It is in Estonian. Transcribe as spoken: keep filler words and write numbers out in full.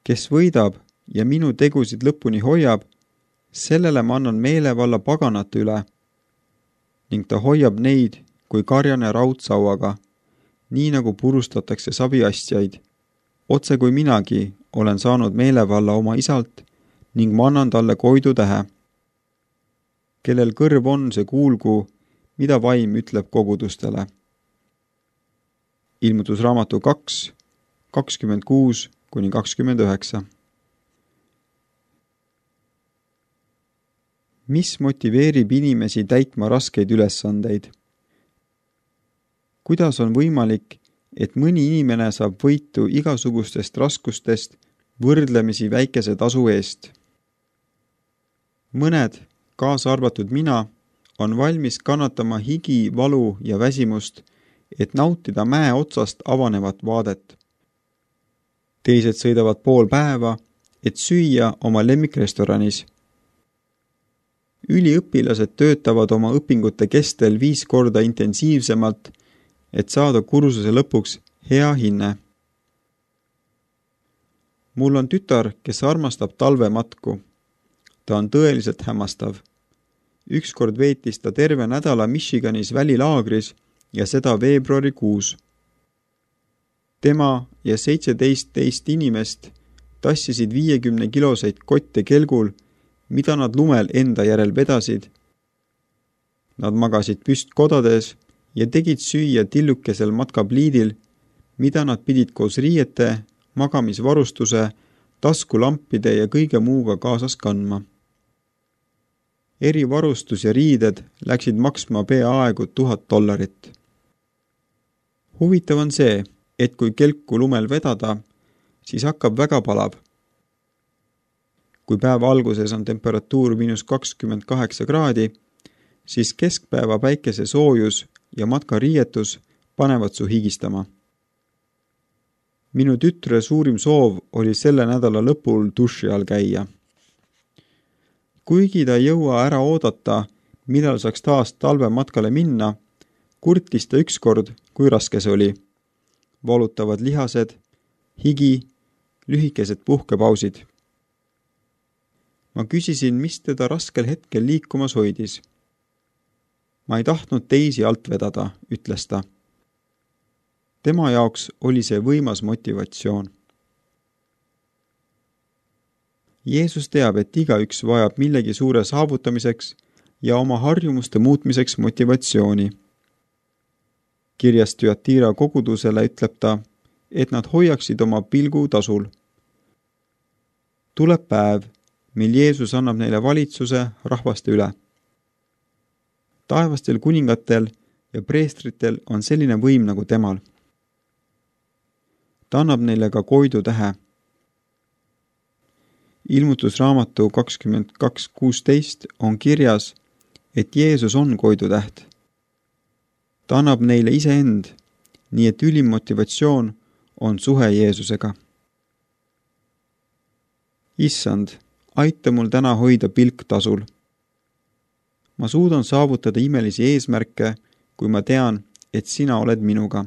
Kes võidab ja minu tegusid lõpuni hoiab, sellele ma annan meelevalla paganate üle ning ta hoiab neid kui karjane raudsauaga, nii nagu purustatakse saviastjaid, otse kui minagi olen saanud meelevalla oma isalt ning ma annan talle koidu tähe. Kellel kõrv on, see kuulgu, mida vaim ütleb kogudustele. Ilmutusraamatu kaks, kakskümmend kuus kuni kakskümmend üheksa. Mis motiveerib inimesi täitma raskeid ülesandeid? Kuidas on võimalik, et mõni inimene saab võitu igasugustest raskustest võrdlemisi väikese tasu eest? Mõned, kaasa arvatud mina, on valmis kannatama higi, valu ja väsimust, et nautida mäe otsast avanevat vaadet. Teised sõidavad pool päeva, et süüa oma lemmikrestoranis. Üliõpilased töötavad oma õpingute kestel viis korda intensiivsemalt, et saada kursuse lõpuks hea hinne. Mul on tütar, kes armastab talvematku. Ta on tõeliselt hämmastav. Ükskord veetis ta terve nädala Michiganis välilaagris ja seda veebruarikuus. Tema ja seitseteist teist inimest tassisid viiekümne kiloseid kotte kelgul, mida nad lumel enda järel vedasid. Nad magasid püstkodades ja tegid süüa tillukesel matkapliidil, mida nad pidid koos riiete, magamisvarustuse, taskulampide ja kõige muuga kaasas kandma. Erivarustus ja riided läksid maksma peaaegu tuhat dollarit. Huvitav on see, et kui kelku lumel vedada, siis hakkab väga palav. Kui päeva alguses on temperatuur miinus kakskümmend kaheksa kraadi, siis keskpäeva päikese soojus ja matkariietus panevad su higistama. Minu tütre suurim soov oli selle nädala lõpul duši all käia. Kuigi ta ei jõua ära oodata, millal saaks taas talvematkale minna, kurtis ta ükskord, kui raske see oli. Valutavad lihased, higi, lühikesed puhkepausid. Ma küsisin, mis teda raskel hetkel liikumas hoidis. Ma ei tahtnud teisi alt vedada, ütles ta. Tema jaoks oli see võimas motivatsioon. Jeesus teab, et igaüks vajab millegi suure saavutamiseks ja oma harjumuste muutmiseks motivatsiooni. Kirjas Thyatira kogudusele ütleb ta, et nad hoiaksid oma pilgu tasul. Tuleb päev, mil Jeesus annab neile valitsuse rahvaste üle. Taevastel kuningatel ja preestritel on selline võim nagu temal. Ta annab neile ka koidu tähe. Ilmutusraamatu kakskümmend kaks kuusteist on kirjas, et Jeesus on koidu täht. Ta annab neile iseend, nii et ülim motivatsioon on suhe Jeesusega. Issand, aita mul täna hoida pilk tasul. Ma suudan saavutada imelisi eesmärke, kui ma tean, et sina oled minuga.